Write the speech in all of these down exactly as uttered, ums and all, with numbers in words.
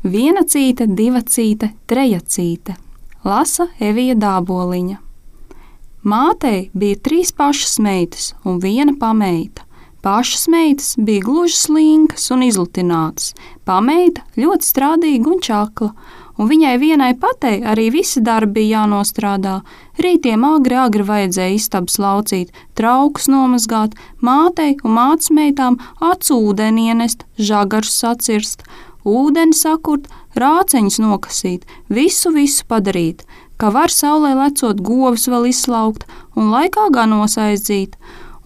Viena cīte, diva cīte, treja cīte. Lasa Evija Dāboliņa. Mātei bija trīs pašas meitas un viena pameita. Pašas meitas bija gluži slinkas un izlutinātas, pameita ļoti strādīga un čakla, un viņai vienai patei arī visi darbi bija jānostrādā. Rītiem agri agri vajadzēja istabas laucīt, traukus nomazgāt, mātei un mātes meitām acu ūdeni ienest, žagarus sacirst, ūdeni sakurt, rāceņus nokasīt, visu, visu padarīt, ka var saulē lecot govs vēl izslaukt un laikā ganos aizdzīt.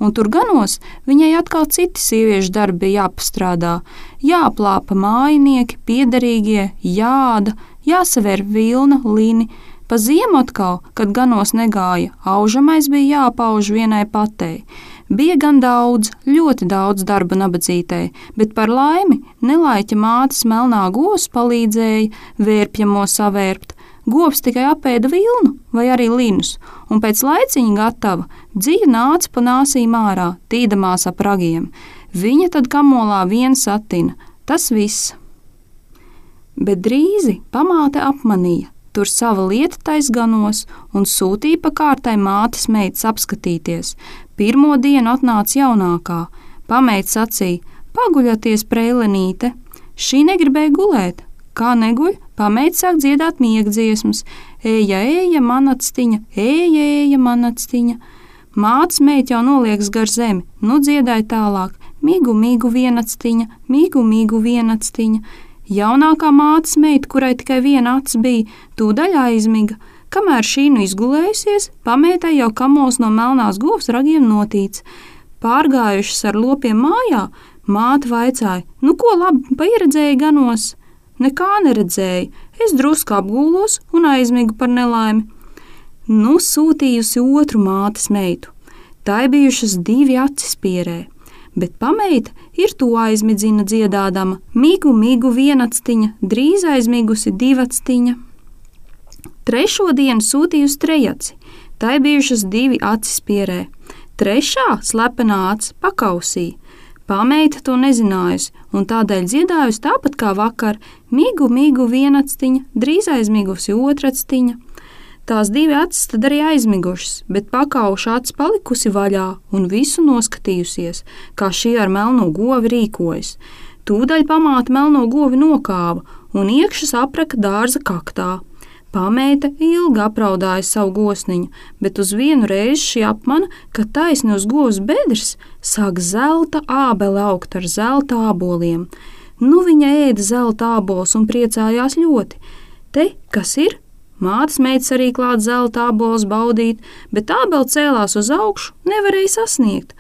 Un tur ganos viņai atkal citi sieviešu darbi jāpastrādā, jāplāpa mājinieki, piederīgie, jāda, jāsaver vilna, lini. Pa ziemu atkal, kad ganos negāja, aužamais bija jāpauž vienai patei. Bija gan daudz, ļoti daudz darba nabadzītei, bet par laimi nelaiķa mātes melnā govs palīdzēja vērpjamo savērpt. Govs tikai apēda vilnu vai arī linus, un pēc laiciņa gatava dzija nāca pa nāsīm ārā, tīdamās ap ragiem. Viņa tad kamolā vien satina, tas viss. Bet drīzi pamāte apmanīja, tur sava lieta taisganos un sūtīja pa kārtai mātes meitas apskatīties. Pirmo dienu atnāca jaunākā, pameita sacīja, paguļaties, prēlenīte, šī negribēja gulēt. Kā neguļ, pameita sāk dziedāt miegdziesmas, ēja, ēja, manactiņa, ēja, ēja, manactiņa. Mātes meita jau noliekas gar zemi, nu dziedāja tālāk, migu, migu, vienactiņa, migu, migu, vienactiņa. Jaunākā mātes meita, kurai tikai viena acs bija, tūdaļ aizmiga. Kamēr šī nu izgulējusies, pameitai jau kamols no melnās govs ragiem notīts. Pārgājušas ar lopiem mājā, māte vaicāja, nu ko labi paieredzēja ganos? Nekā neredzēju, es drusku apgūlos un aizmigu par nelaimi. Nu sūtījusi otru mātes meitu. Tai bijušas divi acis pierē, bet pameita ir to aizmidzina dziedādama. Migu, migu, vienactiņa, drīz aizmigusi divactiņa. Trešo dienu sūtījusi trejaci. Tai bijušas divi acis pierē. Trešā slepenā acis pakausīja. Pameita to nezinājusi, un tādēļ dziedājusi tāpat kā vakar, migu, migu, vienactiņa, drīz aizmigusi otractiņa. Tās divi acis tad arī aizmigušas, bet pakauša acis palikusi vaļā un visu noskatījusies, kā šī ar melno govi rīkojas. Tūdaļ pamāte melno govi nokāva un iekšas apraka dārza kaktā. Pameita ilgi apraudāja savu gosniņu, bet uz vienu reizi šī apmana, ka taisni uz govs bedres sāk zelta ābele augt ar zelta āboliem. Nu viņa ēda zelta ābols un priecājās ļoti. Te, kas ir? Mātes meitas arī klāt zelta ābols baudīt, bet ābele cēlās uz augšu, nevarēja sasniegt.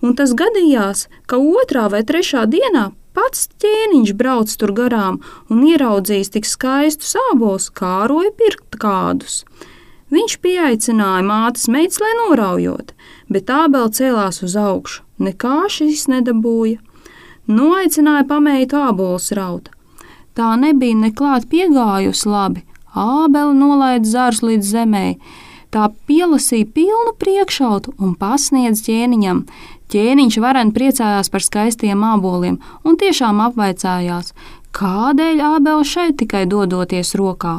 Un tas gadījās, ka otrā vai trešā dienā pats ķēniņš brauc tur garām un ieraudzījis tik skaistus ābolus, kāroja pirkt kādus. Viņš pieaicināja mātes meitas, lai noraujot, bet ābele cēlās uz augšu, nekā šis nedabūja. Noaicināja pameitu ābolus raut. Tā nebija neklāt piegājusi labi, ābele nolaida zarus līdz zemei. Tā pielasīja pilnu priekšautu un pasniedz ķēniņam. Ķēniņš varen priecājās par skaistiem āboliem un tiešām apvaicājās, kādēļ ābele šeit tikai dodoties rokā.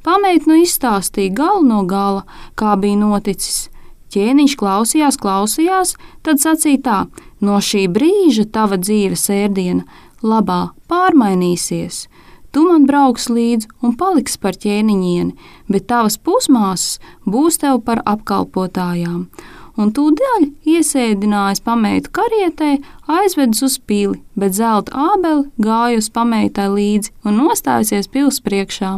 Pameita nu izstāstīja galu no gala, kā bija noticis. Ķēniņš klausījās, klausījās, tad sacīja tā, no šī brīža tava dzīves ēdiena labā pārmainīsies. Tu man brauks līdzi un paliks par ķēniņieni, bet tavas pusmāsas būs tev par apkalpotājām. Un tūdaļ iesēdinājis pameitu karietē, aizvedis uz pili, bet zelta ābele gāja uz pameitai līdzi un nostājusies pils priekšā.